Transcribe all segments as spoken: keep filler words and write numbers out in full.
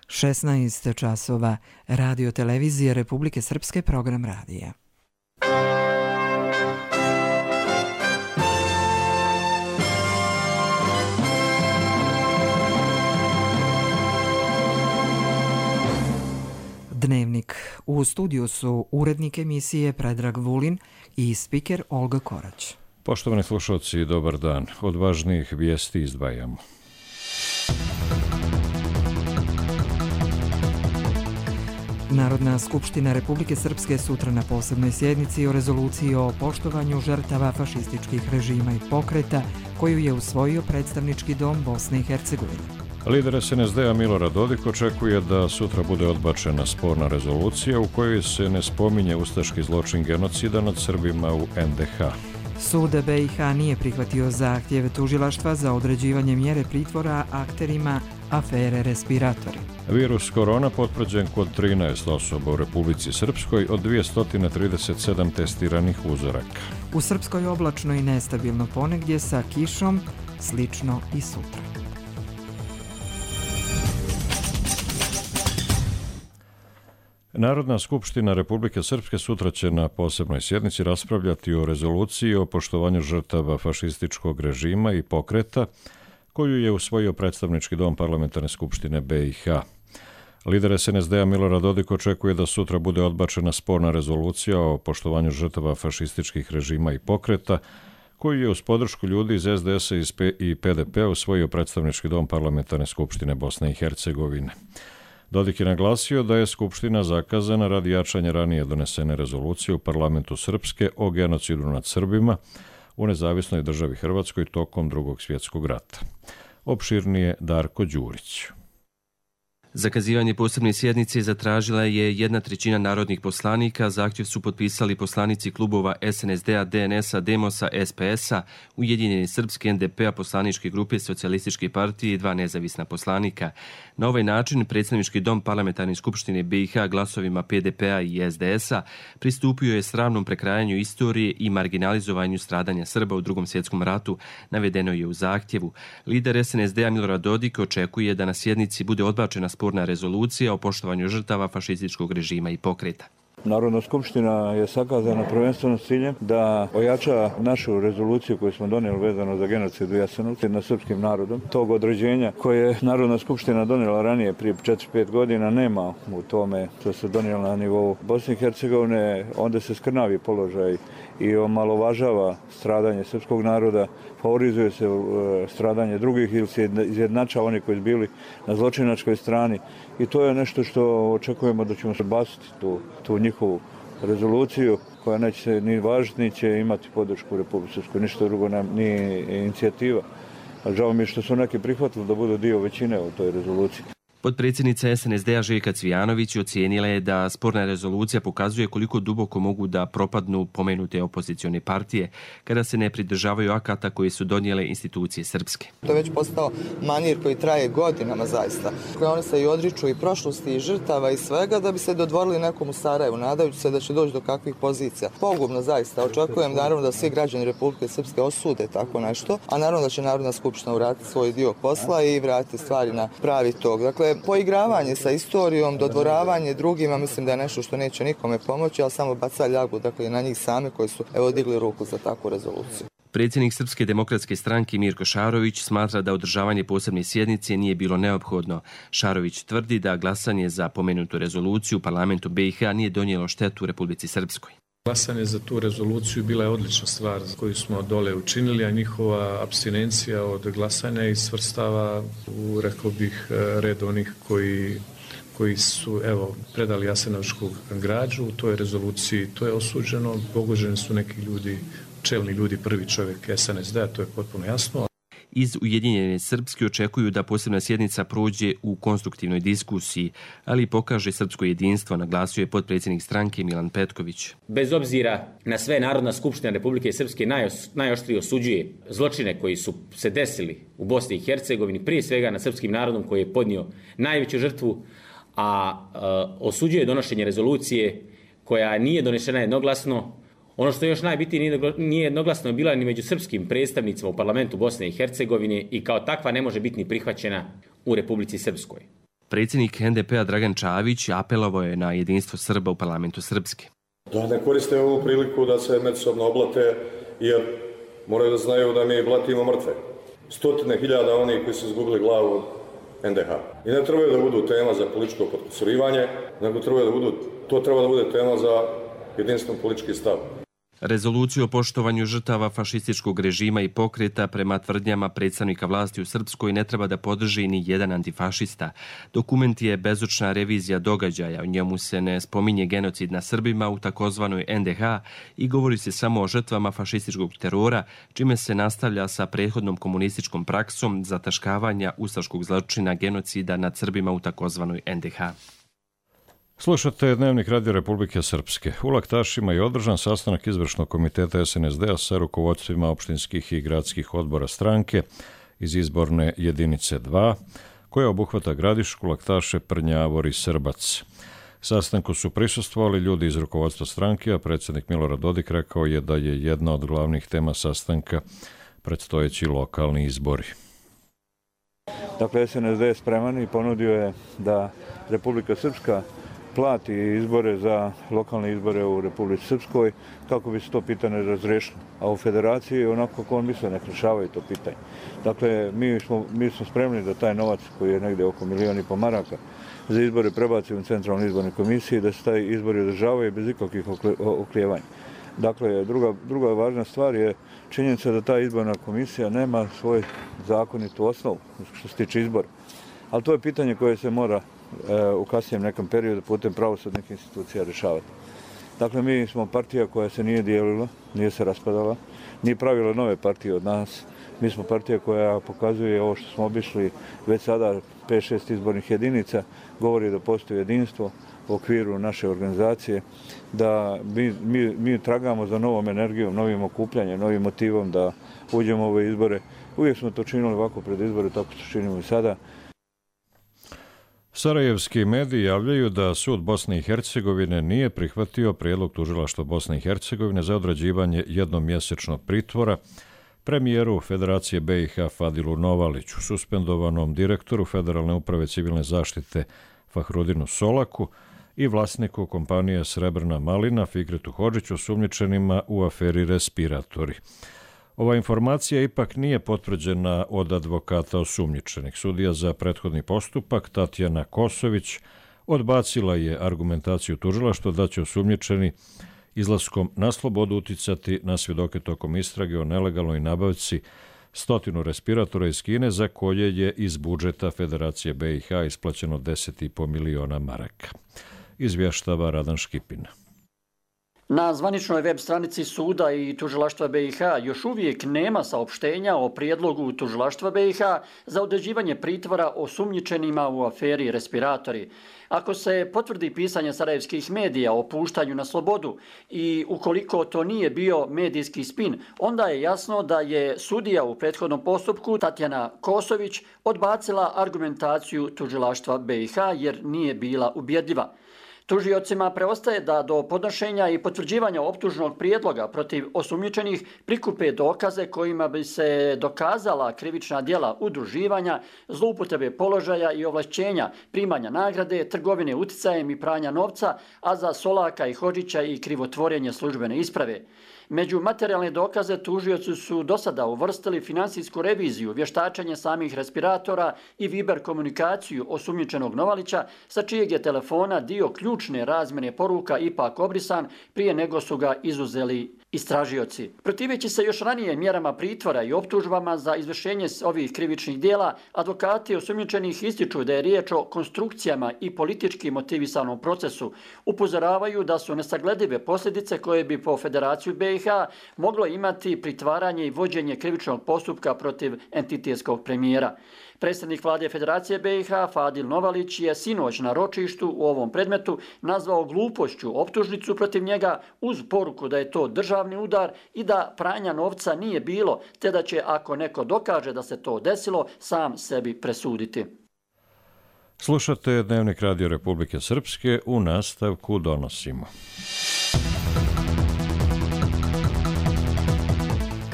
šesnaest časova, Radio televizije Republike Srpske, program radija. Dnevnik. U studiju su urednik emisije Predrag Vulin i spiker Olga Korać. Poštovani slušalci, dobar dan. Od važnijih vijesti izdvajamo. Narodna skupština Republike Srpske sutra na posebnoj sjednici o rezoluciji o poštovanju žrtava fašističkih režima i pokreta koju je usvojio predstavnički dom Bosne i Hercegovine. Lider es en es de a Milorad Dodik očekuje da sutra bude odbačena sporna rezolucija u kojoj se ne spominje ustaški zločin genocida nad Srbima u en de ha. Sud be i ha nije prihvatio zahtjev tužilaštva za određivanje mjere pritvora akterima afere respiratori. Virus korona potvrđen kod trinaest osoba u Republici Srpskoj od dvjesto trideset sedam testiranih uzoraka. U Srpskoj oblačno i nestabilno ponegdje sa kišom, slično i sutra. Narodna skupština Republike Srpske sutra će na posebnoj sjednici raspravljati o rezoluciji o poštovanju žrtava fašističkog režima i pokreta koju je usvojio predstavnički dom Parlamentarne skupštine be i ha. Lider es en es de a Milorad Dodik očekuje da sutra bude odbačena sporna rezolucija o poštovanju žrtava fašističkih režima i pokreta koju je uz podršku ljudi iz es de esa i pe de pe usvojio predstavnički dom Parlamentarne skupštine Bosne i Hercegovine. Dodik je naglasio da je Skupština zakazana radi jačanja ranije donesene rezolucije u Parlamentu Srpske o genocidu nad Srbima u nezavisnoj državi Hrvatskoj tokom Drugog svjetskog rata. Opširnije Darko Đurić. Zakazivanje posebne sjednice zatražila je jedna trećina narodnih poslanika. Zahtjev su potpisali poslanici klubova es en es de a, de en es a, Demosa, es pe esa, Ujedinjene Srpske, en de pe a, poslaničke grupe Socijalističke partije i dva nezavisna poslanika. Na ovaj način predstavnički dom Parlamentarne skupštine be i ha glasovima pe de pe a i es de esa pristupio je sramnom prekrajanju istorije i marginalizovanju stradanja Srba u Drugom svjetskom ratu, navedeno je u zahtjevu. Lider es en es de a Milorad Dodik očekuje da na sjednici bude odbačena sporna rezolucija o poštovanju žrtava fašističkog režima i pokreta. Narodna skupština je sakazana prvenstveno s ciljem da ojača našu rezoluciju koju smo donijeli vezano za genocid u Jasenovcu nad srpskim narodom. Tog određenja koje je Narodna skupština donijela ranije prije četiri pet godina nema u tome što se donijelo na nivou Bosne i Hercegovine. Onda se skrnavi položaj i omalovažava stradanje srpskog naroda, favorizuje se stradanje drugih ili se izjednačava oni koji su bili na zločinačkoj strani. I to je nešto što očekujemo da ćemo se basiti tu, tu njihovu rezoluciju koja neće se ni važiti, ni će imati podršku u Republici Srpskoj. Ništa drugo nam nije inicijativa. A žao mi je što su neki prihvatili da budu dio većine u toj rezoluciji. Potpredsjednica es en es de a Željka Cvijanović ocijenila je da sporna rezolucija pokazuje koliko duboko mogu da propadnu pomenute opozicione partije kada se ne pridržavaju akata koje su donijele institucije srpske. To je već postao manir koji traje godinama zaista. Oni se i odriču i prošlosti i žrtava i svega da bi se dodvorili nekom u Sarajevu, nadajući se da će doći do kakvih pozicija. Pogubno zaista. Očekujem naravno da svi građani Republike Srpske osude tako nešto, a naravno da će Narodna skupština uraditi svoj dio posla i vratiti stvari na pravi tog. Dakle, poigravanje sa istorijom, dodvoravanje drugima, mislim da je nešto što neće nikome pomoći, ali samo baca ljagu dakle, na njih same koji su evo digli ruku za takvu rezoluciju. Predsjednik Srpske demokratske stranke Mirko Šarović smatra da održavanje posebne sjednice nije bilo neophodno. Šarović tvrdi da glasanje za pomenutu rezoluciju u parlamentu be i ha nije donijelo štetu Republici Srpskoj. Glasanje za tu rezoluciju bila je odlična stvar koju smo dole učinili, a njihova apstinencija od glasanja i svrstava u, rekao bih, red onih koji, koji su evo, predali jasenovačku građu u toj rezoluciji. To je osuđeno, pogođeni su neki ljudi, čelni ljudi, prvi čovjek es en es de a, to je potpuno jasno. Iz Ujedinjene Srpske očekuju da posebna sjednica prođe u konstruktivnoj diskusiji, ali pokaže srpsko jedinstvo, naglasio je potpredsjednik stranke Milan Petković. Bez obzira na sve, Narodna skupština Republike Srpske najos, najoštrije osuđuje zločine koji su se desili u Bosni i Hercegovini, prije svega na srpskim narodom koji je podnio najveću žrtvu, a e, osuđuje donošenje rezolucije koja nije donešena jednoglasno. Ono što je još najbitnije, nije jednoglasno bila ni među srpskim predstavnicima u parlamentu Bosne i Hercegovine i kao takva ne može biti ni prihvaćena u Republici Srpskoj. Predsjednik en de pe a Dragan Čavić apelovao je na jedinstvo Srba u parlamentu Srpske. Da ne koriste ovu priliku da se međusobno oblate, jer moraju da znaju da mi blatimo mrtve. Stotine hiljada onih koji su izgubili glavu en de ha. I ne trebaju da budu tema za političko potkusurivanje, nego trebaju da budu, to treba da bude tema za jedinstven politički stav. Rezoluciju o poštovanju žrtava fašističkog režima i pokreta prema tvrdnjama predstavnika vlasti u Srpskoj ne treba da podrži ni jedan antifašista. Dokument je bezočna revizija događaja, u njemu se ne spominje genocid na Srbima u takozvanoj en de ha i govori se samo o žrtvama fašističkog terora, čime se nastavlja sa prethodnom komunističkom praksom zataškavanja ustaškog zločina genocida nad Srbima u takozvanoj en de ha. Slušate Dnevnik Radio Republike Srpske. U Laktašima je održan sastanak izvršnog komiteta es en es de a sa rukovodstvima opštinskih i gradskih odbora stranke iz izborne jedinice dva, koja obuhvata Gradišku, Laktaše, Prnjavor i Srbac. Sastanku su prisustvovali ljudi iz rukovodstva stranke, a predsjednik Milorad Dodik rekao je da je jedna od glavnih tema sastanka predstojeći lokalni izbori. Dakle, es en es de je spreman i ponudio je da Republika Srpska plati izbore za lokalne izbore u Republici Srpskoj kako bi se to pitanje razrešilo. A u federaciji onako kako on misle, nek rešavaju to pitanje. Dakle, mi smo, mi smo spremni da taj novac koji je negdje oko milijon i po maraka za izbore prebacimo u centralnu izbornu komisiju i da se taj izbori održavaju bez ikakvih oklijevanja. Dakle, druga, druga važna stvar je činjenica da ta izborna komisija nema svoj zakonitu osnovu što se tiče izbora. Ali to je pitanje koje se mora u kasnijem nekom periodu putem pravosudnih institucija rješavati. Dakle, mi smo partija koja se nije dijelila, nije se raspadala, nije pravila nove partije od nas. Mi smo partija koja pokazuje ovo što smo obišli već sada pet šest izbornih jedinica, govori da postoji jedinstvo u okviru naše organizacije, da mi, mi, mi tragamo za novom energijom, novim okupljanjem, novim motivom da uđemo u ove izbore. Uvijek smo to činili ovako pred izbore, tako što činimo i sada. Sarajevski mediji javljaju da sud Bosne i Hercegovine nije prihvatio prijedlog tužilaštva Bosne i Hercegovine za određivanje jednomjesečnog pritvora premijeru Federacije be i ha Fadilu Novaliću, suspendovanom direktoru Federalne uprave civilne zaštite Fahrudinu Solaku i vlasniku kompanije Srebrna malina Fikretu Hodžiću, osumnjičenima u aferi Respiratori. Ova informacija ipak nije potvrđena od advokata osumnjičenih. Sudija za prethodni postupak Tatjana Kosović odbacila je argumentaciju tužilaštva da će osumnjičeni izlaskom na slobodu uticati na svjedoke tokom istrage o nelegalnoj nabavci stotinu respiratora iz Kine za koje je iz budžeta Federacije be i ha isplaćeno deset i po miliona maraka. Izvještava Radan Škipin. Na zvaničnoj web stranici suda i tužilaštva be i ha još uvijek nema saopštenja o prijedlogu tužilaštva be i ha za određivanje pritvora osumnjičenima u aferi Respiratori. Ako se potvrdi pisanje sarajevskih medija o puštanju na slobodu i ukoliko to nije bio medijski spin, onda je jasno da je sudija u prethodnom postupku Tatjana Kosović odbacila argumentaciju tužilaštva be i ha jer nije bila ubjedljiva. Tužiocima preostaje da do podnošenja i potvrđivanja optužnog prijedloga protiv osumnjičenih prikupe dokaze kojima bi se dokazala krivična djela udruživanja, zloupotrebe položaja i ovlašćenja, primanja nagrade, trgovine uticajem i pranja novca, a za Solaka i Hodžića i krivotvorenje službene isprave. Među materijalne dokaze tužioci su do sada uvrstili finansijsku reviziju, vještačenje samih respiratora i Viber komunikaciju osumnjičenog Novalića, sa čijeg je telefona dio ključne razmjene poruka ipak obrisan prije nego su ga izuzeli istražioci. Protiveći se još ranije mjerama pritvora i optužbama za izvršenje ovih krivičnih dijela, advokati osumnjičenih ističu da je riječ o konstrukcijama i politički motivisanom procesu. Upozoravaju da su nesagledive posljedice koje bi po Federaciju be i ha moglo imati pritvaranje i vođenje krivičnog postupka protiv entitetskog premijera. Predsjednik vlade Federacije be i ha Fadil Novalić je sinoć na ročištu u ovom predmetu nazvao glupošću optužnicu protiv njega uz poruku da je to državni udar i da pranja novca nije bilo, te da će ako neko dokaže da se to desilo sam sebi presuditi. Slušate Dnevnik Radio Republike Srpske, u nastavku donosimo.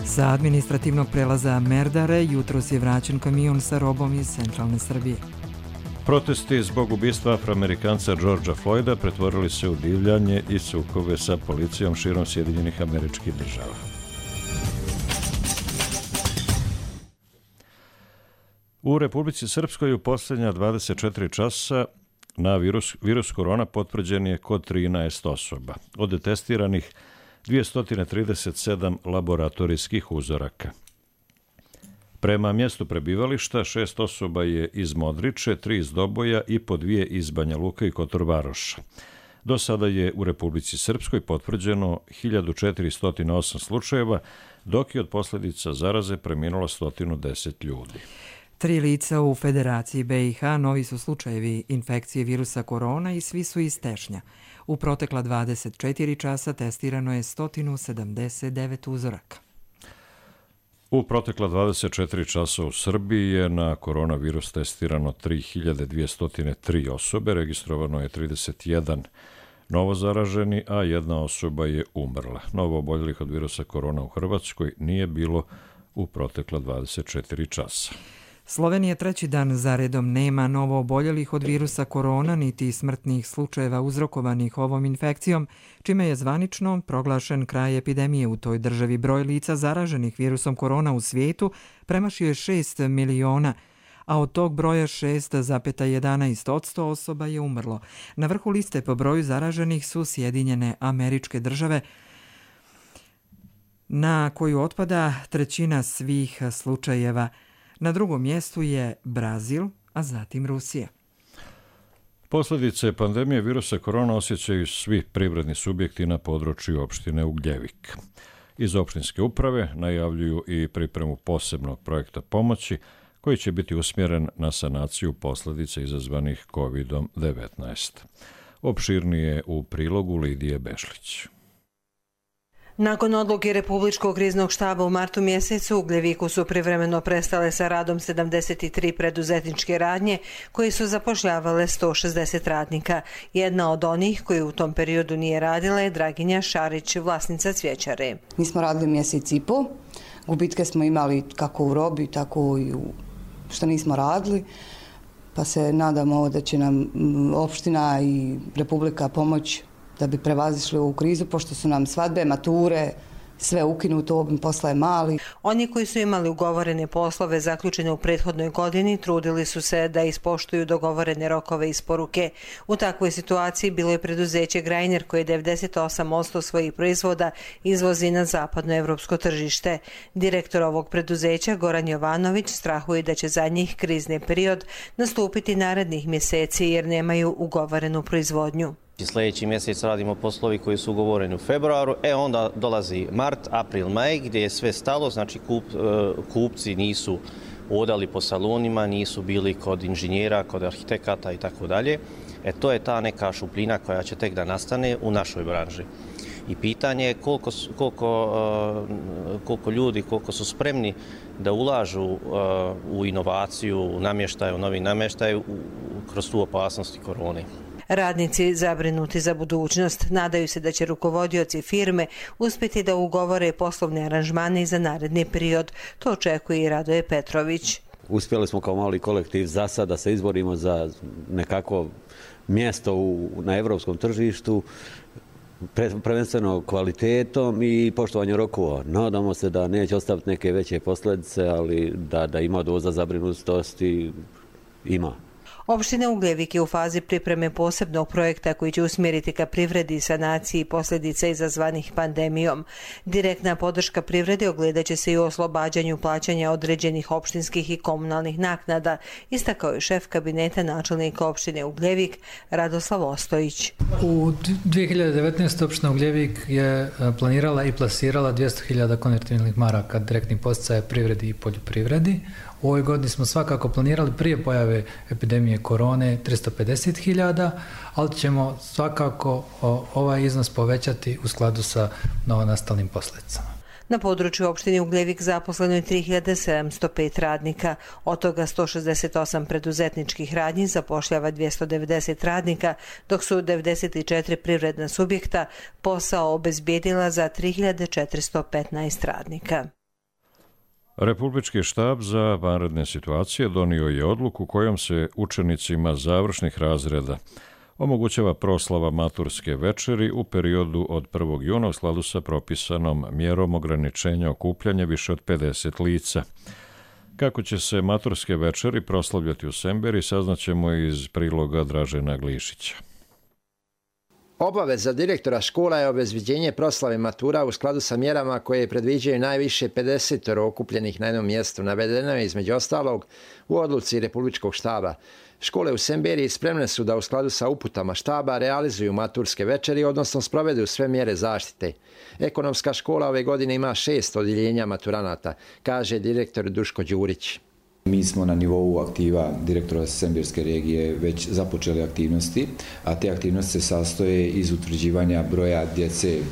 Sa administrativnog prelaza Merdare jutros je vraćen kamion sa robom iz centralne Srbije. Protesti zbog ubistva Afroamerikanca Georgea Floyda pretvorili se u divljanje i sukobe sa policijom širom Sjedinjenih Američkih Država. U Republici Srpskoj u posljednja dvadeset četiri časa na virus, virus korona potvrđen je kod trinaest osoba. Od testiranih dvjesto trideset sedam laboratorijskih uzoraka. Prema mjestu prebivališta, šest osoba je iz Modriče, tri iz Doboja i po dvije iz Banja Luka i Kotor Varoša. Do sada je u Republici Srpskoj potvrđeno hiljadu četiristo osam slučajeva, dok je od posljedica zaraze preminulo sto deset ljudi. Tri lica u Federaciji B i H novi su slučajevi infekcije virusa korona i svi su iz Tešnja. U protekla dvadeset četiri časa testirano je sto sedamdeset devet uzoraka. U protekla dvadeset četiri časa u Srbiji je na koronavirus testirano tri hiljade dvjesto tri osobe, registrovano je trideset jedan novo zaraženi, a jedna osoba je umrla. Novo oboljelih od virusa korona u Hrvatskoj nije bilo u protekla dvadeset četiri časa. Slovenija treći dan zaredom nema novo oboljelih od virusa korona niti smrtnih slučajeva uzrokovanih ovom infekcijom, čime je zvanično proglašen kraj epidemije u toj državi. Broj lica zaraženih virusom korona u svijetu premašio je šest miliona, a od tog broja šest zarez jedanaest posto osoba je umrlo. Na vrhu liste po broju zaraženih su Sjedinjene Američke Države, na koju otpada trećina svih slučajeva. Na drugom mjestu je Brazil, a zatim Rusija. Posljedice pandemije virusa korona osjećaju svi privredni subjekti na području opštine Ugljevik. Iz opštinske uprave najavljuju i pripremu posebnog projekta pomoći koji će biti usmjeren na sanaciju posljedica izazvanih kovid devetnaest. Opširnije u prilogu Lidije Bešlić. Nakon odluke Republičkog kriznog štaba u martu mjesecu, u Ugljeviku su privremeno prestale sa radom sedamdeset tri preduzetničke radnje koje su zapošljavale sto šezdeset radnika. Jedna od onih koji u tom periodu nije radila je Draginja Šarić, vlasnica cvjećare. Mi smo radili mjesec i po, gubitke smo imali kako u robi, tako i u što nismo radili, pa se nadamo da će nam opština i Republika pomoći da bi prevazišli ovu krizu, pošto su nam svadbe, mature, sve ukinuto, obim posla je mali. Oni koji su imali ugovorene poslove zaključene u prethodnoj godini trudili su se da ispoštuju dogovorene rokove isporuke. U takvoj situaciji bilo je preduzeće Grajner koje devedeset osam posto svojih proizvoda izvozi na zapadno evropsko tržište. Direktor ovog preduzeća Goran Jovanović strahuje da će za njih krizni period nastupiti narednih mjeseci jer nemaju ugovorenu proizvodnju. Sljedeći mjesec radimo poslovi koji su ugovoreni u februaru, e onda dolazi mart, april, maj gdje je sve stalo, znači kup, kupci nisu odali po salonima, nisu bili kod inženjera, kod arhitekata i tako dalje. E to je ta neka šupljina koja će tek da nastane u našoj branži. I pitanje je koliko, koliko, koliko ljudi, koliko su spremni da ulažu u inovaciju, u namještaj, u novi namještaj kroz tu opasnost korone. Radnici zabrinuti za budućnost nadaju se da će rukovodioci firme uspjeti da ugovore poslovne aranžmane i za naredni period. To očekuje i Radoje Petrović. Uspjeli smo kao mali kolektiv za sad da se izborimo za nekako mjesto u, na evropskom tržištu, pre, prvenstveno kvalitetom i poštovanjem rokova. Nadamo se da neće ostaviti neke veće posljedice, ali da, da ima doza zabrinutosti, ima. Opština Ugljevik je u fazi pripreme posebnog projekta koji će usmjeriti ka privredi i sanaciji posljedica izazvanih pandemijom. Direktna podrška privredi ogledat će se i u oslobađanju plaćanja određenih opštinskih i komunalnih naknada, istakao je šef kabineta načelnika opštine Ugljevik Radoslav Ostojić. U dvije hiljade devetnaestoj. opština Ugljevik je planirala i plasirala dvjesto hiljada konvertibilnih maraka direktnih podsticaja privredi i poljoprivredi. U ovoj godini smo svakako planirali prije pojave epidemije korone tristo pedeset hiljada, ali ćemo svakako ovaj iznos povećati u skladu sa novonastalim posljedicama. Na području opštine Ugljevik zaposleno je tri hiljade sedamsto pet radnika, od toga sto šezdeset osam preduzetničkih radnji zapošljava dvjesto devedeset radnika, dok su devedeset četiri privredna subjekta posao obezbijedila za tri hiljade četiristo petnaest radnika. Republički štab za vanredne situacije donio je odluku kojom se učenicima završnih razreda omogućava proslava maturske večeri u periodu od prvog juna u skladu sa propisanom mjerom ograničenja okupljanja više od pedeset lica. Kako će se maturske večeri proslavljati u Semberi, saznaćemo iz priloga Dražena Glišića. Obaveza direktora škola je obezbeđenje proslave matura u skladu sa mjerama koje predviđaju najviše pedeset okupljenih na jednom mjestu. Navedeno je između ostalog u odluci Republičkog štaba. Škole u Semberiji spremne su da u skladu sa uputama štaba realizuju maturske večeri, odnosno sprovedu sve mjere zaštite. Ekonomska škola ove godine ima šest odjeljenja maturanata, kaže direktor Duško Đurić. Mi smo na nivou aktiva direktora Semberske regije već započeli aktivnosti, a te aktivnosti se sastoje iz utvrđivanja broja djece e,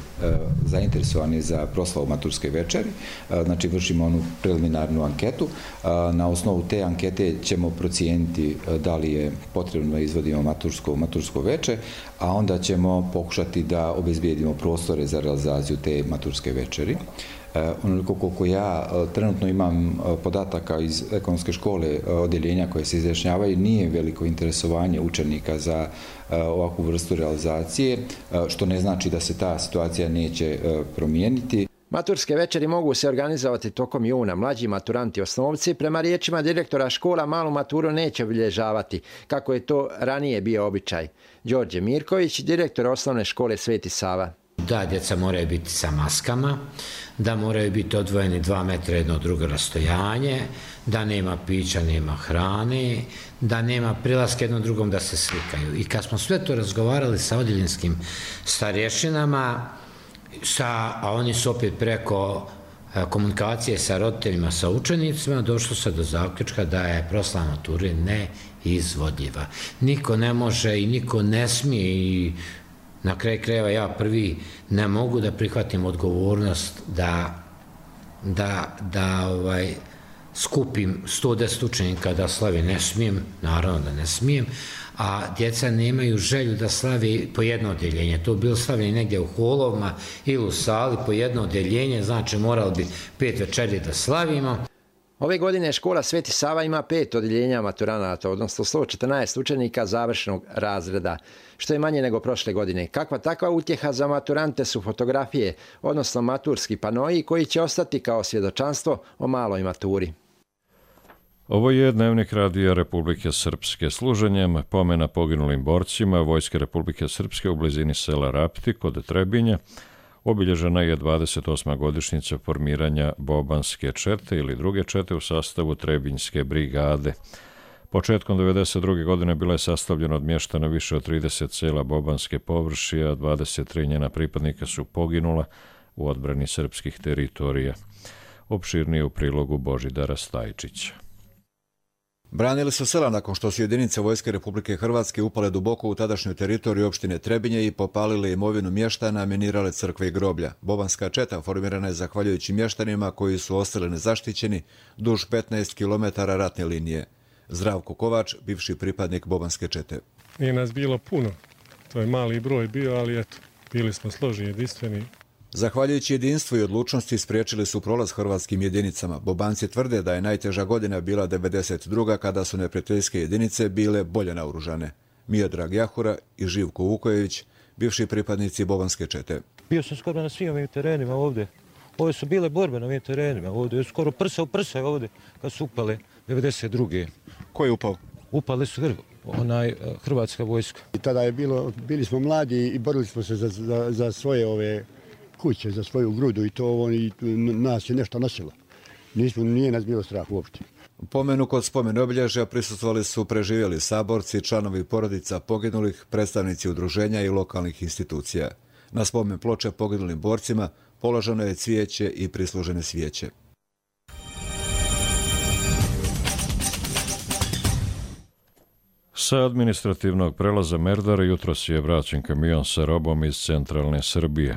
zainteresovane za proslavu maturske večeri. E, znači vršimo onu preliminarnu anketu. E, na osnovu te ankete ćemo procijeniti e, da li je potrebno da izvodimo matursko, matursko veče, a onda ćemo pokušati da obezbijedimo prostore za realizaciju te maturske večeri. Onoliko koliko ja trenutno imam podataka iz ekonomske škole odjeljenja koje se izjašnjavaju, nije veliko interesovanje učenika za ovakvu vrstu realizacije, što ne znači da se ta situacija neće promijeniti. Maturske večeri mogu se organizovati tokom juna. Mlađi maturanti osnovci, prema riječima direktora škola, malu maturu neće obilježavati, kako je to ranije bio običaj. Đorđe Mirković, direktor osnovne škole Sveti Sava. Da, djeca moraju biti sa maskama, da moraju biti odvojeni dva metra jedno od drugo rastojanje, da nema pića, nema hrane, da nema prilaska jednom drugom da se slikaju. I kad smo sve to razgovarali sa odjeljinskim starješinama, sa, a oni su opet preko komunikacije sa roditeljima, sa učenicima, došlo se do zaključka da je proslava mature neizvodljiva. Niko ne može i niko ne smije i na kraju krajeva ja prvi ne mogu da prihvatim odgovornost da, da, da ovaj, skupim sto deset učenika da slavi. Ne smijem, naravno da ne smijem, a djeca nemaju želju da slavi po jedno odjeljenje. To bilo slavljeno negdje u holovima ili u sali po jedno odjeljenje, znači morali bi pet večeri da slavimo. Ove godine škola Sveti Sava ima pet odjeljenja maturanata, odnosno sto četrnaest učenika završnog razreda, što je manje nego prošle godine. Kakva takva utjeha za maturante su fotografije, odnosno maturski panoji koji će ostati kao svjedočanstvo o maloj maturi. Ovo je Dnevnik Radija Republike Srpske. Služenjem pomena poginulim borcima Vojske Republike Srpske u blizini sela Rapti kod Trebinja obilježena je dvadeset osma godišnjica formiranja Bobanske čete ili druge čete u sastavu Trebinjske brigade. Početkom devedeset druge godine bila je sastavljena od mještana više od trideset sela Bobanske površije, a dvadeset tri njena pripadnika su poginula u odbrani srpskih teritorija. Opširnije u prilogu Božidara Stajčića. Branili su sela nakon što su jedinice Vojske Republike Hrvatske upale duboko u tadašnju teritoriju opštine Trebinje i popalile imovinu mještana, minirale crkve i groblja. Bobanska četa formirana je zahvaljujući mještanima koji su ostali nezaštićeni duž petnaest kilometara ratne linije. Zdravko Kovač, bivši pripadnik Bobanske čete. Nije nas bilo puno, to je mali broj bio, ali eto, bili smo složni, jedinstveni. Zahvaljujući jedinstvu i odlučnosti spriječili su prolaz hrvatskim jedinicama. Bobanci tvrde da je najteža godina bila devedeset druga kada su neprijateljske jedinice bile bolje naoružane. Miodrag Jahura i Živko Vukojević, bivši pripadnici Bobanske čete. Bio sam skoro na svim ovim terenima ovdje. Ove su bile borbe na ovim terenima ovdje. Skoro prsa u prsa ovdje kad su upale devedeset druge. Ko je upao? Upale su hr, onaj hrvatska vojska. I tada je bilo, bili smo mladi i borili smo se za, za, za svoje ove kuće, za svoju grudu i to oni, nas je nešto nosilo. Nismo, nije nas bilo strah uopšte. Pomenu kod spomen obilježja prisustvovali su preživjeli saborci, članovi porodica poginulih, predstavnici udruženja i lokalnih institucija. Na spomen ploče poginulim borcima položeno je cvijeće i prislužene svijeće. Sa administrativnog prelaza Merdara jutros je vraćen kamion sa robom iz centralne Srbije.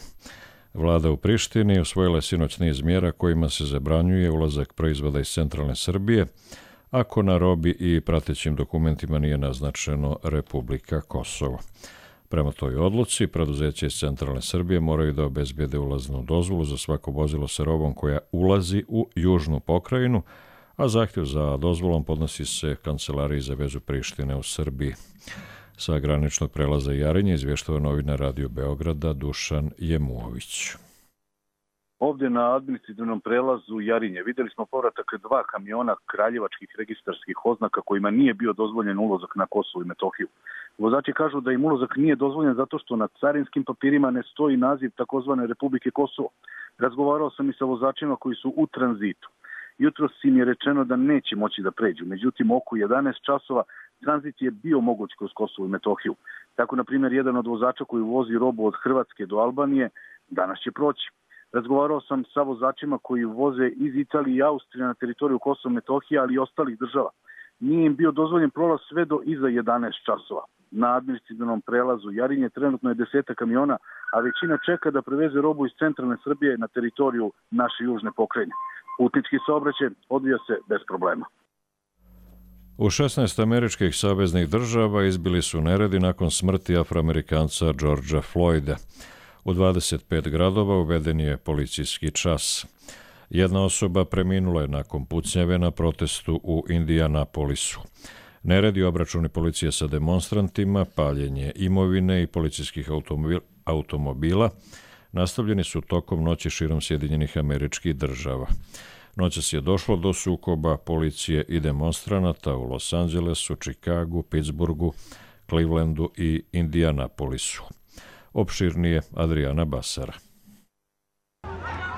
Vlada u Prištini usvojila je sinoć niz mjera kojima se zabranjuje ulazak proizvoda iz centralne Srbije, ako na robi i pratećim dokumentima nije naznačeno Republika Kosovo. Prema toj odluci, preduzeće iz centralne Srbije moraju da obezbijede ulaznu dozvolu za svako vozilo sa robom koja ulazi u južnu pokrajinu, a zahtjev za dozvolom podnosi se Kancelariji za vezu Prištine u Srbiji. Sa graničnog prelaza Jarinje izvještava novinar Radio Beograda Dušan Jemuović. Ovdje na administrativnom prelazu Jarinje vidjeli smo povratak dva kamiona kraljevačkih registarskih oznaka kojima nije bio dozvoljen ulazak na Kosovo i Metohiju. Vozači kažu da im ulazak nije dozvoljen zato što na carinskim papirima ne stoji naziv takozvane Republike Kosovo. Razgovarao sam i sa vozačima koji su u tranzitu. Jutros im je rečeno da neće moći da pređu, međutim oko jedanaest časova tranzit je bio moguć kroz Kosovo i Metohiju. Tako, na primjer, jedan od vozača koji vozi robu od Hrvatske do Albanije danas će proći. Razgovarao sam sa vozačima koji voze iz Italije i Austrije na teritoriju Kosova i Metohije, ali i ostalih država. Nije im bio dozvoljen prolaz sve do iza jedanaest časova. Na administrativnom prelazu Jarinje trenutno je deseta kamiona, a većina čeka da preveze robu iz centralne Srbije na teritoriju naše južne pokrajine. Putnički saobraćaj odvija se bez problema. U šesnaest američkih saveznih država izbili su neredi nakon smrti Afroamerikanca Georgea Floyda. U dvadeset pet gradova uveden je policijski čas. Jedna osoba preminula je nakon pucnjave na protestu u Indianapolisu. Neredi, obračuni policije sa demonstrantima, paljenje imovine i policijskih automobila nastavljeni su tokom noći širom Sjedinjenih Američkih Država. Noćas je došlo do sukoba policije i demonstranata u Los Angelesu, Čikagu, Pittsburghu, Clevelandu i Indianapolisu. Opširnije Adriana Basara.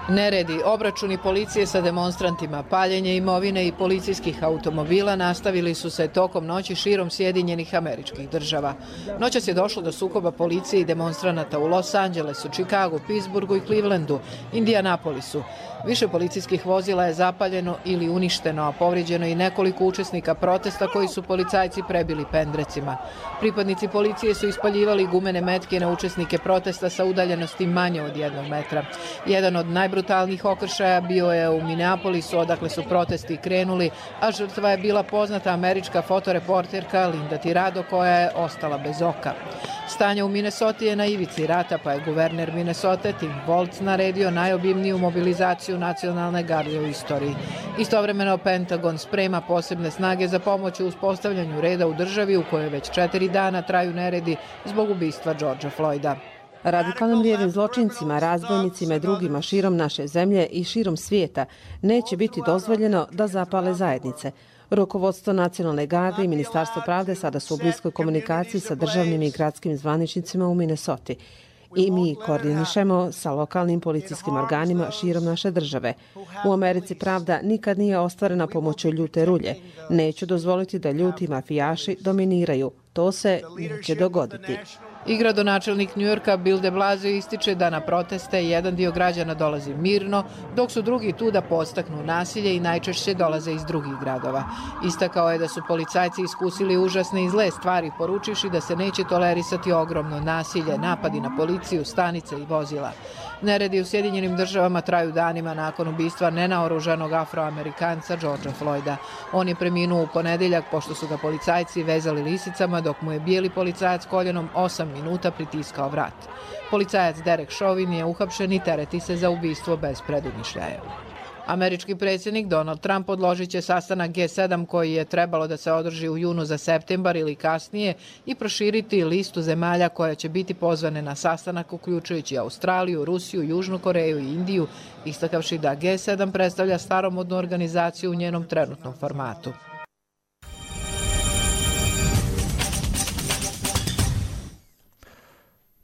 Neredi, obračuni policije sa demonstrantima, paljenje imovine i policijskih automobila nastavili su se tokom noći širom Sjedinjenih Američkih Država. Noćas je došlo do sukoba policije i demonstranata u Los Angelesu, Čikagu, Pittsburghu i Clevelandu, Indianapolisu. Više policijskih vozila je zapaljeno ili uništeno, a povrijeđeno i nekoliko učesnika protesta koji su policajci prebili pendrecima. Pripadnici policije su ispaljivali gumene metke na učesnike protesta sa udaljenosti manje od jednog metra. Jedan od najbrutalnijih okršaja bio je u Minneapolisu, odakle su protesti krenuli, a žrtva je bila poznata američka fotoreporterka Linda Tirado, koja je ostala bez oka. Stanje u Minnesoti je na ivici rata, pa je guverner Minnesote Tim Walz naredio najobimniju mobilizaciju nacionalne garde u istoriji. Istovremeno Pentagon sprema posebne snage za pomoć u uspostavljanju reda u državi u kojoj već četiri dana traju neredi zbog ubistva Georgea Floyda. Radikalnim lijevim zločincima, razbojnicima i drugima širom naše zemlje i širom svijeta neće biti dozvoljeno da zapale zajednice. Rukovodstvo Nacionalne garde i Ministarstvo pravde sada su u bliskoj komunikaciji sa državnim i gradskim zvaničnicima u Minnesoti. I mi koordinišemo sa lokalnim policijskim organima širom naše države. U Americi pravda nikad nije ostvarena pomoću ljute rulje. Neću dozvoliti da ljuti mafijaši dominiraju. To se neće dogoditi. I gradonačelnik Njujorka Bill de Blasio ističe da na proteste jedan dio građana dolazi mirno, dok su drugi tu da podstaknu nasilje i najčešće dolaze iz drugih gradova. Istakao je da su policajci iskusili užasne i zle stvari, poručivši da se neće tolerisati ogromno nasilje, napadi na policiju, stanice i vozila. Neredi u Sjedinjenim Državama traju danima nakon ubistva nenaoružanog Afroamerikanca Georgea Floyda. On je preminuo u ponedeljak pošto su ga policajci vezali lisicama dok mu je bijeli policajac koljenom osam minuta pritiskao vrat. Policajac Derek Chauvin je uhapšen i tereti se za ubistvo bez predumišljaja. Američki predsjednik Donald Trump odložit će sastanak G sedam koji je trebalo da se održi u junu za septembar ili kasnije i proširiti listu zemalja koja će biti pozvane na sastanak, uključujući Australiju, Rusiju, Južnu Koreju i Indiju, istakavši da G sedam predstavlja staromodnu organizaciju u njenom trenutnom formatu.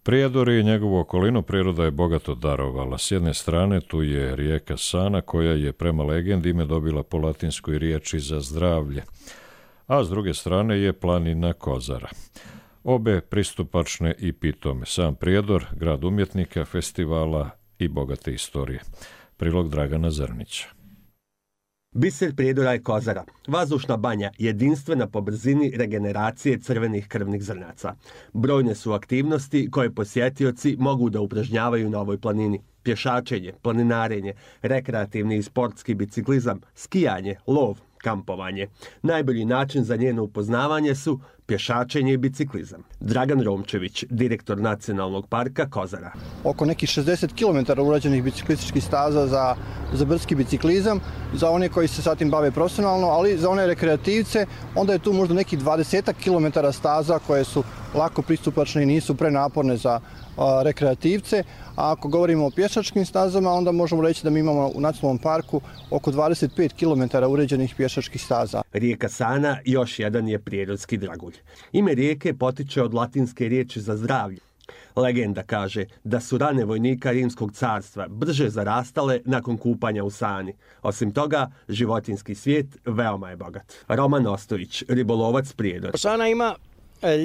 Prijedor i njegovu okolinu priroda je bogato darovala. S jedne strane tu je rijeka Sana koja je prema legendi ime dobila po latinskoj riječi za zdravlje, a s druge strane je planina Kozara. Obe pristupačne i pitome. Sam Prijedor, grad umjetnika, festivala i bogate istorije. Prilog Dragana Zrnića. Biser Prijedora je Kozara, vazdušna banja, jedinstvena po brzini regeneracije crvenih krvnih zrnaca. Brojne su aktivnosti koje posjetioci mogu da upražnjavaju na ovoj planini. Pješačenje, planinarenje, rekreativni i sportski biciklizam, skijanje, lov, kampovanje. Najbolji način za njeno upoznavanje su pješačenje i biciklizam. Dragan Romčević, direktor Nacionalnog parka Kozara. Oko nekih šezdeset kilometara urađenih biciklističkih staza za, za brdski biciklizam, za one koji se sa tim bave profesionalno, ali za one rekreativce, onda je tu možda nekih dvadeset kilometara staza koje su lako pristupačne i nisu prenaporne za a, rekreativce. A ako govorimo o pješačkim stazama, onda možemo reći da mi imamo u Nacionalnom parku oko dvadeset pet kilometara uređenih pješačkih staza. Rijeka Sana još jedan je prirodski dragulj. Ime rijeke potiče od latinske riječi za zdravlje. Legenda kaže da su rane vojnika Rimskog carstva brže zarastale nakon kupanja u Sani. Osim toga, životinjski svijet veoma je bogat. Roman Ostojić, ribolovac Prijedor. Sana ima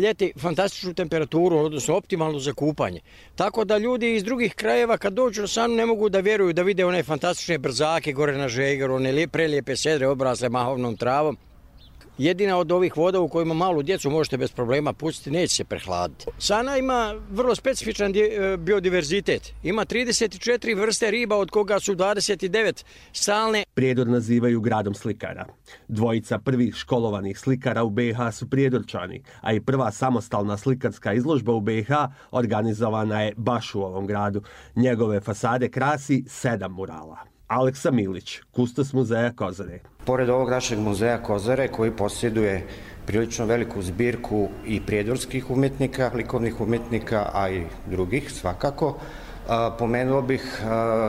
ljeti fantastičnu temperaturu, odnosno optimalnu za kupanje. Tako da ljudi iz drugih krajeva kad dođu na Sanu ne mogu da vjeruju da vide one fantastične brzake gore na Žegeru, one prelijepe sedre obrasle mahovnom travom. Jedina od ovih voda u kojima malu djecu možete bez problema pustiti, neće se prehladiti. Sana ima vrlo specifičan biodiverzitet. Ima trideset četiri vrste riba, od koga su dvadeset devet stalne. Prijedor nazivaju gradom slikara. Dvojica prvih školovanih slikara u be i ha su prijedorčani, a i prva samostalna slikarska izložba u be i ha organizovana je baš u ovom gradu. Njegove fasade krasi sedam murala. Aleksa Milić, kustos muzeja Kozare. Pored ovog našeg muzeja Kozare, koji posjeduje prilično veliku zbirku i prijedorskih umjetnika, likovnih umjetnika, a i drugih svakako, pomenuo bih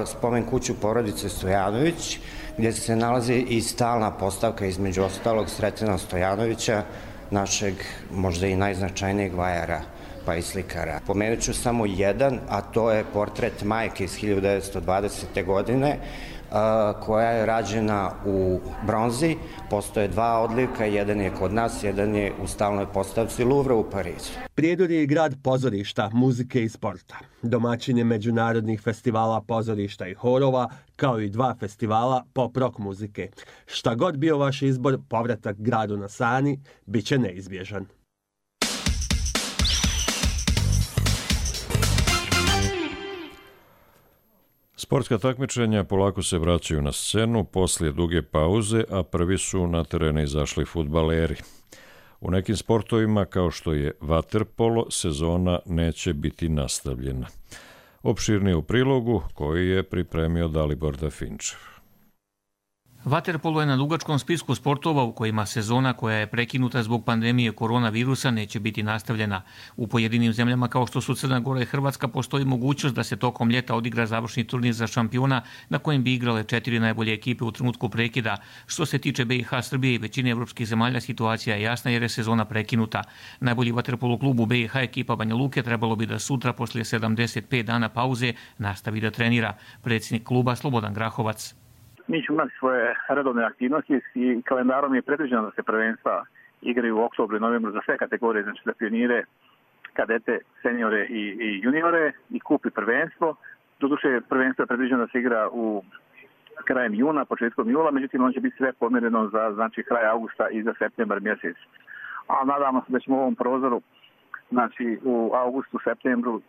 spomen kuću porodice Stojanović, gdje se nalazi i stalna postavka, između ostalog Sretena Stojanovića, našeg možda i najznačajnijeg vajara pa i slikara. Pomenut ću samo jedan, a to je portret majke iz hiljadu devetsto dvadesete. godine, koja je rađena u bronzi. Postoje dva odlivka, jedan je kod nas, jedan je u stalnoj postavci Louvre u Parizu. Prijedor je i grad pozorišta, muzike i sporta. Domaćin je međunarodnih festivala pozorišta i horova, kao i dva festivala pop rock muzike. Šta god bio vaš izbor, povratak gradu na Sani bit će neizbježan. Sportska takmičenja polako se vraćaju na scenu poslije duge pauze, a prvi su na terene izašli fudbaleri. U nekim sportovima, kao što je vaterpolo, sezona neće biti nastavljena. Opširnije u prilogu koji je pripremio Dalibor Dafinčev. Vaterpolo je na dugačkom spisku sportova u kojima sezona koja je prekinuta zbog pandemije koronavirusa neće biti nastavljena. U pojedinim zemljama kao što su Crna Gora i Hrvatska postoji mogućnost da se tokom ljeta odigra završni turnir za šampiona na kojem bi igrale četiri najbolje ekipe u trenutku prekida. Što se tiče be i ha, Srbije i većine evropskih zemalja, situacija je jasna jer je sezona prekinuta. Najbolji vaterpolo klub u be i ha, ekipa Banja Luke, trebalo bi da sutra poslije sedamdeset pet dana pauze nastavi da trenira. Predsjednik kluba Slobodan Grahovac. Mi ćemo imati svoje redovne aktivnosti i kalendarom je predviđeno da se prvenstva igraju u oktobru i novembru za sve kategorije, znači za pionire, kadete, seniore i, i juniore i kup i prvenstvo. Doduše, prvenstvo je predviđeno da se igra u krajem juna, početkom jula, međutim on će biti sve pomjereno za znači, kraj augusta i za septembar mjesec. A nadamo se da ćemo u ovom prozoru, znači u augustu, septembru,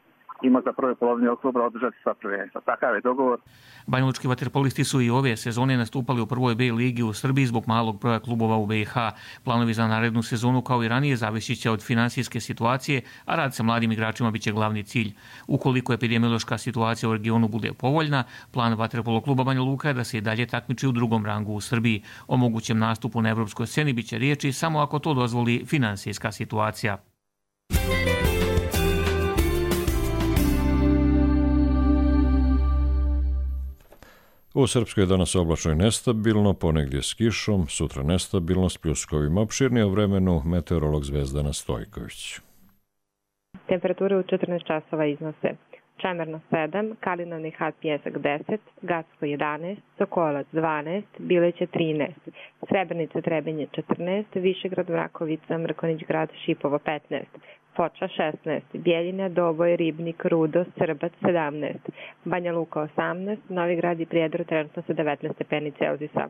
ima za prve polovine oktobra održati sva prvenstva. Takav je dogovor. Banjalučki vaterpolisti su i ove sezone nastupali u prvoj B ligi u Srbiji zbog malog broja klubova u be i ha. Planovi za narednu sezonu kao i ranije zavisit će od finansijske situacije, a rad sa mladim igračima biće glavni cilj. Ukoliko epidemiološka situacija u regionu bude povoljna, plan vaterpolo kluba Banja Luka je da se i dalje takmiči u drugom rangu u Srbiji. O mogućem nastupu na evropskoj sceni biće riječi samo ako to dozvoli finansijska situacija. U Srpskoj je danas oblačno i nestabilno, ponegdje s kišom, sutra nestabilno s pljuskovima. Opširnije o vremenu meteorolog Zvezdana Stojković. Temperature u četrnaest časova iznose Čemerno sedam, Kalinani Had Pjesak deset, Gacko jedanaest, Sokolac dvanaest, Bileće trinaest, Srebrenica Trebinje četrnaest, Višegrad Vrakovica, Mrkonić grad Šipovo petnaest, Foča šesnaest, Bjeljina, Doboj, Ribnik, Rudo, Srbac sedamnaest, Banja Luka osamnaest, Novi Grad i Prijedor trenutno sa devetnaest stepeni Celzijusa.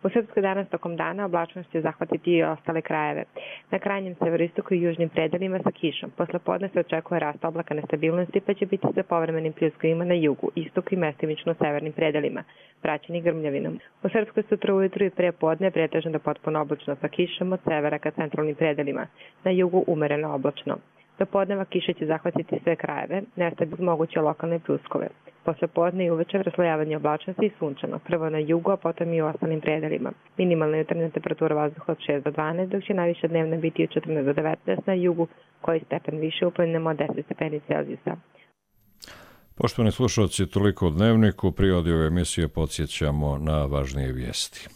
U Srpskoj danas tokom dana oblačnost će zahvatiti i ostale krajeve. Na krajnjem severoistoku i južnim predelima sa kišom. Posle podne se očekuje rast oblaka nestabilnosti, pa će biti sa povremenim pljuskovima na jugu, istoku i mestimično severnim predelima, praćeni grmljavinom. U Srpskoj sutra ujutru i pre podne pretežno do potpuno oblačno sa kišom od severa ka centralnim predelima. Na jugu umereno oblačno. Do podneva kiše će zahvatiti sve krajeve, nestabilne moguće lokalne pljuskove. Posle podne i uveče raslojavanje oblačnosti i sunčano, prvo na jugu, a potom i u ostalim predelima. Minimalna jutarnja temperatura vazduha od šest do dvanaest, dok će najviša dnevna biti od četrnaest do devetnaest na jugu, koji stepen više u planinama od deset stepeni Celzijusa. Poštovani slušalci, toliko o Dnevniku. Prije ove emisije podsjećamo na važnije vijesti.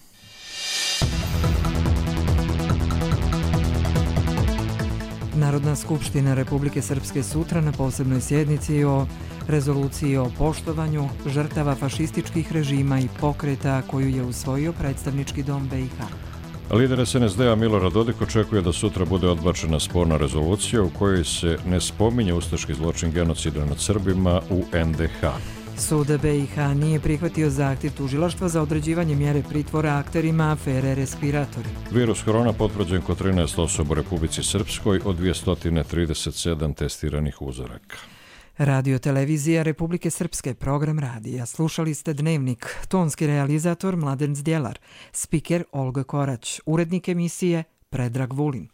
Narodna skupština Republike Srpske sutra na posebnoj sjednici o rezoluciji o poštovanju žrtava fašističkih režima i pokreta koju je usvojio predstavnički dom B i H. Lider S N S D-a Milorad Dodik očekuje da sutra bude odbačena sporna rezolucija u kojoj se ne spominje ustaški zločin genocida nad Srbima u N D H. Sud B i H nije prihvatio zahtjev tužilaštva za određivanje mjere pritvora akterima afere respiratori. Virus korona potvrđen kod trinaest osoba u Republici Srpskoj od dvjesto trideset sedam testiranih uzoraka. Radio televizija Republike Srpske, program radija. Slušali ste Dnevnik, tonski realizator Mladen Zdjelar, spiker Olga Korać, urednik emisije Predrag Vulin.